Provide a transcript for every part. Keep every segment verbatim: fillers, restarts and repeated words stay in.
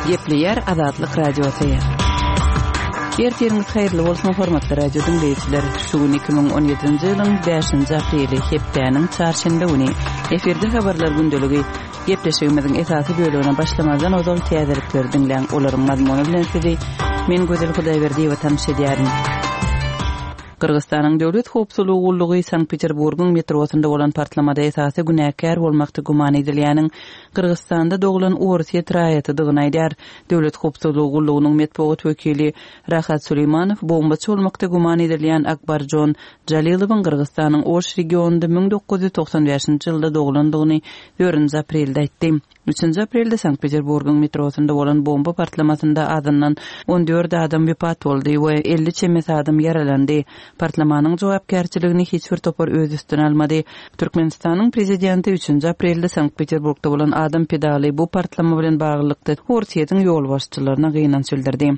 Gepleýär Azatlyk Radiosy. Ertiriňiz haýyrly bolsun, hormatly radio diňleýjiler. Şu gün iki müň on ýedinji ýylyň bäşinji apreli, hepdäniň çarşenbe güni. Efirde habarlar gündeligi. Gepleşigimiziň esasy bölegine başlamazdan ozal täzelikleri diňläň. Olaryň mazmuny bilen sizi men Gözel Hudaýberdiýewa tanyş edýärin. Gyrgyzystanyň Döwlet howpsuzlygy gullugy Sankt-Peterburgyň metrosynda bolan partlamada esasy günäkär bolmakda güman edilýäniň Gyrgyzystanda doglan orsýet raýatydygyny aýdýar. Döwlet howpsuzlygy gullugynyň metbugat wekili Rahat Suleýmanow bombaçy bolmakda güman edilýän Akbarjon Jalilowyň Gyrgyzystanyň Oş regionynda müň dokuz ýüz togsan bäşinji ýylda doglandygyny dördünji aprelde aýtdy. Üçünji aprelde Sankt-Peterburgyň metrosynda bolan bomba partlamasynda azyndan on dört adam wepat boldy we elli çemesi adam ýaralandy. Partlamanyň jogapkärçiligini hiç bir topar öz üstüne almady. Türkmenistanyň prezidenti üçünji aprelde Sankt-Peterburgda bolan adam pedaly bu partlama bilen baglylykda Orsýetiň ýolbaşçylaryna gynanç bildirdi.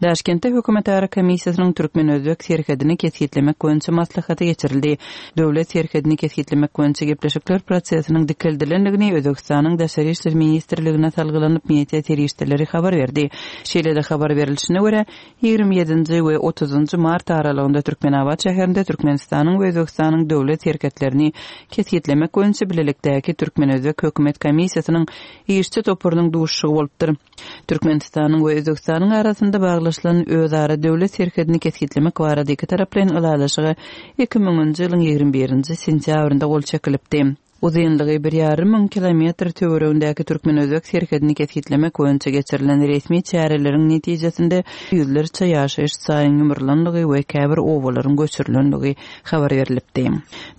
Daşkentde hökümetara komissiýasynyň türkmen-özbek serhedini kesgitlemek boýunça maslahaty geçirildi. Döwlet serhedini kesgitlemek boýunça gepleşikler prosesiniň dikeldilendigini Özbekistanyň Daşary işler ministrligine salgylanyp media serişdeleri habar berdi. Şeýle-de habar berilişine görä, ýigrimi ýedinji we otuzynjy mart aralygynda Türkmenabat şäherinde Türkmenistanyň we Özbekistanyň döwlet serhetlerini kesgitlemek boýunça bilelikdäki türkmen-özbek hökümet komissiýasynyň işçi toparynyň duşuşygy bolupdyr. Türkmenistanyň we Özbekistanyň arasynda baglaşylan özara döwlet serhedini kesgitlemek barada iki taraplaýyn ylalaşyga iki müňünji ýylyň ýigrimi birinji sentýabrynda gol çekilipdi. Uzynlygy bir ýarym müň kilometr töweregindäki türkmen-özbek serhedini kesgitlemek boýunça geçirilen resmi çäreleriň netijesinde ýüzlerçe ýaşaýyş jaýyň ýumrulandygy we käbir obalaryň göçürilenligi habar berilipdi.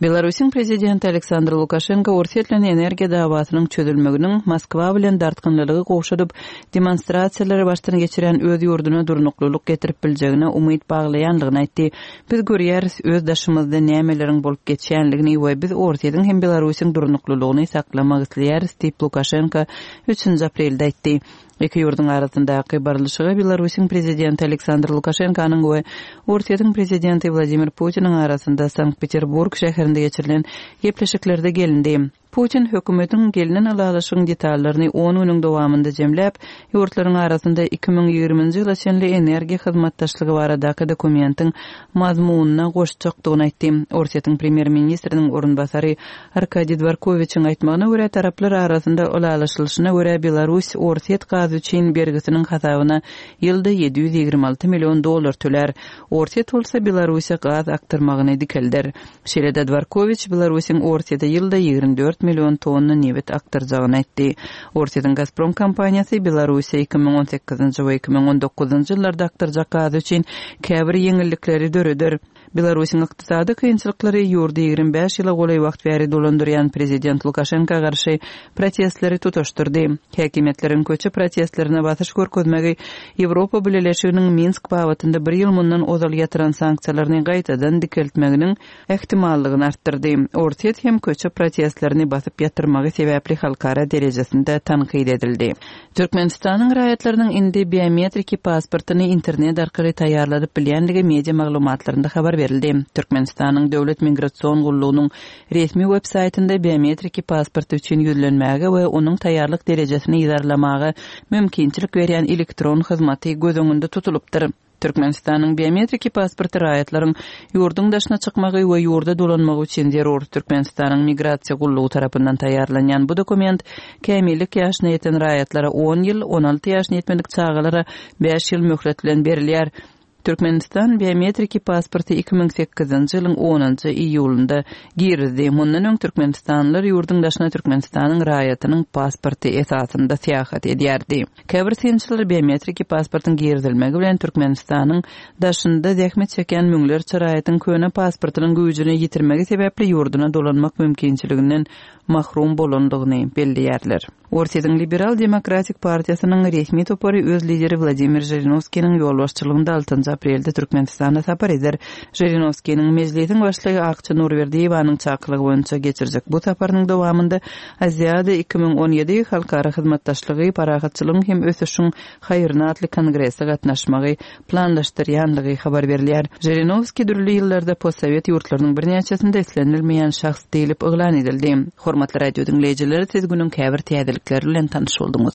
Belarusyň prezidenti Aleksandr Lukaşenko Orsýet bilen energiýa dawasynyň çözülmeginiň Moskwa bilen dartgynlylygy gowşadyp, demonstrasiýalary başdan geçiren öz ýurduna durnuklylyk getirip biljegine umyt baglaýanlygyny aýtdy. Biz görýäris öz daşymyzda nämeleriň bolup geçýänligini we biz Orsýetiň hem Belarusyň durnuklylygyny saklamak isleýäris diýip Lukaşenko üçünji aprelde aýtdy. Iki ýurduň arasyndaky barlyşyga Belarusyň prezidenti Aleksandr Lukaşenkonyň we Orsýetiň prezidenti Wladimir Putiniň arasynda Sankt-Peterburg şäherinde geçirilen gepleşiklerde gelindi. Putin hökümetiň gelinen ylalaşygyň detallaryny on günüň dowamynda jemläp, ýurtlaryň arasynda iki müň ýigriminji ýyla çenli energiýa hyzmatdaşlygy baradaky dokumentiň mazmunyna goşjakdygyny aýtdy. Orsýetiň premýer-ministriniň orunbasary Arkadiý Dworkowiçiň aýtmagyna görä, taraplar arasynda ylalaşylyşyna görä Belarus Orsýet gazy üçin bergisiniň hasabyna ýylda ýedi ýüz ýigrimi alty million dollar tölär. Orsýet bolsa Belarusiýa gaz akdyrmagyny dikelder. Şeýle-de Dworkowiç Belarusyň Orsýete ýylda ýigrimi dört million tonna nebit akdyrjagyny aýtdy. Orsýetiň Gazprom kompaniýasy Belarusiýa iki müň on sekizinji we iki müň on dokuzynjy ýyllarda akdyrjak gazy üçin käbir ýeňillikleri döreder. Belarusyň ykdysady kynçylyklary ýurdy ýigrimi bäş ýyla golaý wagt bäri dolandyrýan prezident Lukaşenko garşy protestleri tutaşdyrdy. Häkimiýetleriň köçe protestlerine basyş görkezmegi Ýewropa Bileleşiginiň Minsk babatynda bir ýyl mundan ozal ýatyran sanksiýalaryny gaýtadan dikeltmeginiň ähtimallygyny artdyrdy. Orsýet hem köçe protestlerini basyp ýatyrmagy sebäpli halkara derejesinde tankyt edildi. Türkmenistanyň raýatlarynyň indi biometriki pasportyny internet arkaly taýýarladyp bilýänligi media maglumatlarynda habar berildi. Türkmenistanyň Döwlet Migration gullugynyň resmi web saýtynda biometriki pasporty üçin ýüzlenmäge we onuň taýýarlyk derejesini ýygarlamaga mümkinçilik berýän elektron hyzmaty göz öňünde tutulypdyr. Türkmenistanyň biometriki pasporty raýatlaryň ýurduň daşyna çykmagy we ýurda dolanmagy üçin zerur. Türkmenistanyň Migrasiýa gullugy tarapyndan taýýarlanýan bu dokument kämillik ýaşyna ýeten raýatlara on ýyl, on alty ýaşyna ýetmedik çagalara bäş ýyl möhlet bilen berilýär. Türkmenistan biometriki pasporty iki müň sekizinji ýylyň onunjy iýulynda girizdi. Mundan öň Türkmenistanlylar ýurduň daşyna Türkmenistanyň raýatynyň pasporty esasynda syýahat edýärdi. Käbir synçylar biometriki pasportyň girizilmegi bilen Türkmenistanyň daşynda zähmet çekýän müňlerçe raýatyň köne pasportynyň güýjüni ýitirmegi sebäpli ýurduna dolanmak mümkinçiliginden mahrum bolandygyny belleýärler. Orsýetiň Liberal Demokratik Partiýasynyň resmi topary öz lideri Wladimir Žirinowskiniň ýolbaşçylygynda altynjy aprelde Türkmenistana sapar eder. Žirinowskiniň mejlisiň başlygy Akça Nurberdiýewanyň çakylygy boýunça geçirjek bu saparynyň dowamynda Aziada iki müň on ýedi halkara hyzmatdaşlygy, parahatçylygyň hem ösüşiň haýryna atly kongrese gatnaşmagy planlaşdyrýanlygy habar berilýär. Žirinowski dürli ýyllarda postsowet ýurtlarynyň birnäçesinde islenilmeýän şahs diýlip yglan edildi. Hormatly radio diňleýjiler, siz günüň käbir täzelikleri bilen tanyş bolduňyz.